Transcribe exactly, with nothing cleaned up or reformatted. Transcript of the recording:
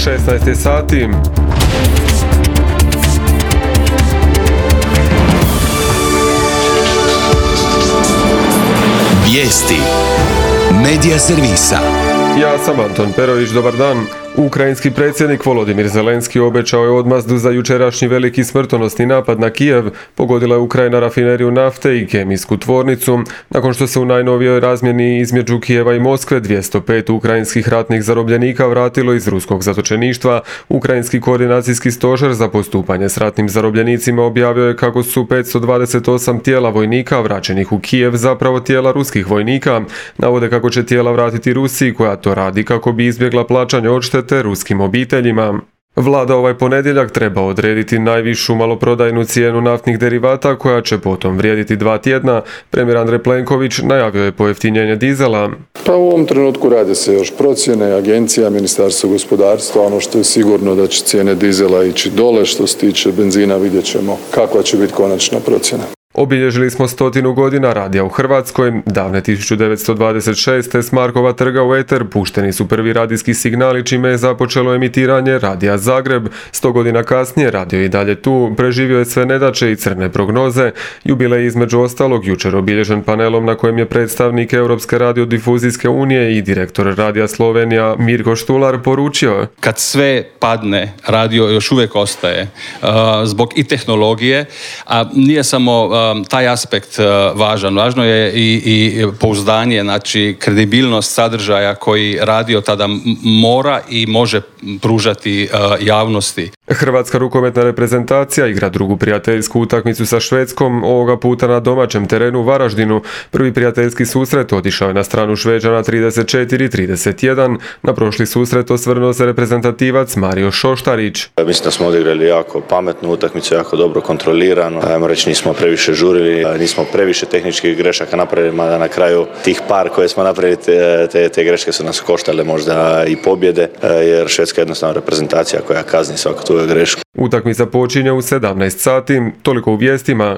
šesnaest je sati. Vijesti Medija servisa. Ja sam Anton Perović, dobar dan. Ukrajinski predsjednik Volodimir Zelenski obećao je odmazdu za jučerašnji veliki smrtonosni napad na Kijev. Pogodila je Ukrajina rafineriju nafte i kemijsku tvornicu, nakon što se u najnovijoj razmjeni između Kijeva i Moskve dvjesto pet ukrajinskih ratnih zarobljenika vratilo iz ruskog zatočeništva. Ukrajinski koordinacijski stožer za postupanje s ratnim zarobljenicima objavio je kako su petsto dvadeset osam tijela vojnika vraćenih u Kijev zapravo tijela ruskih vojnika. Navode kako će tijela vratiti Rusiji, koja to radi kako bi izbjegla plaćanje odštete te ruskim obiteljima. Vlada ovaj ponedjeljak treba odrediti najvišu maloprodajnu cijenu naftnih derivata, koja će potom vrijediti dva tjedna. Premijer Andrej Plenković najavio je pojeftinjenje dizela. Pa u ovom trenutku rade se još procjene, agencija, Ministarstvo gospodarstva. Ono što je sigurno da će cijene dizela ići dole, što se tiče benzina vidjet ćemo kakva će biti konačna procjena. Obilježili smo stotinu godina radija u Hrvatskoj. Davne tisuću devetsto dvadeset šeste s Markova trga u eter pušteni su prvi radijski signali, čime je započelo emitiranje Radija Zagreb. Sto godina kasnije radio je i dalje tu, preživio je sve nedaće i crne prognoze. Jubilej između ostalog jučer obilježen panelom na kojem je predstavnik Europske radiodifuzijske unije i direktor Radija Slovenija Mirko Štular poručio: kad sve padne, radio još uvijek ostaje. Uh, zbog i tehnologije, a nije samo uh, taj aspekt važan. Važno je i, i pouzdanje, znači kredibilnost sadržaja koji radio tada mora i može pružati uh, javnosti. Hrvatska rukometna reprezentacija igra drugu prijateljsku utakmicu sa Švedskom, ovoga puta na domaćem terenu u Varaždinu. Prvi prijateljski susret otišao je na stranu Šveđana trideset četiri trideset jedan. Na prošli susret osvrnuo se reprezentativac Mario Šoštarić. Mislim da smo odigrali jako pametnu utakmicu, jako dobro kontrolirano. Ajmo reći, nismo previše žurili, nismo previše tehničkih grešaka napravili, mada na kraju tih par koje smo napravili, te, te, te greške su nas koštale možda i pobjede, jer Švedska je jednostavno reprezentacija koja kazni svaku tu grešku. Utakmica počinje u sedamnaest sati, toliko u vijestima.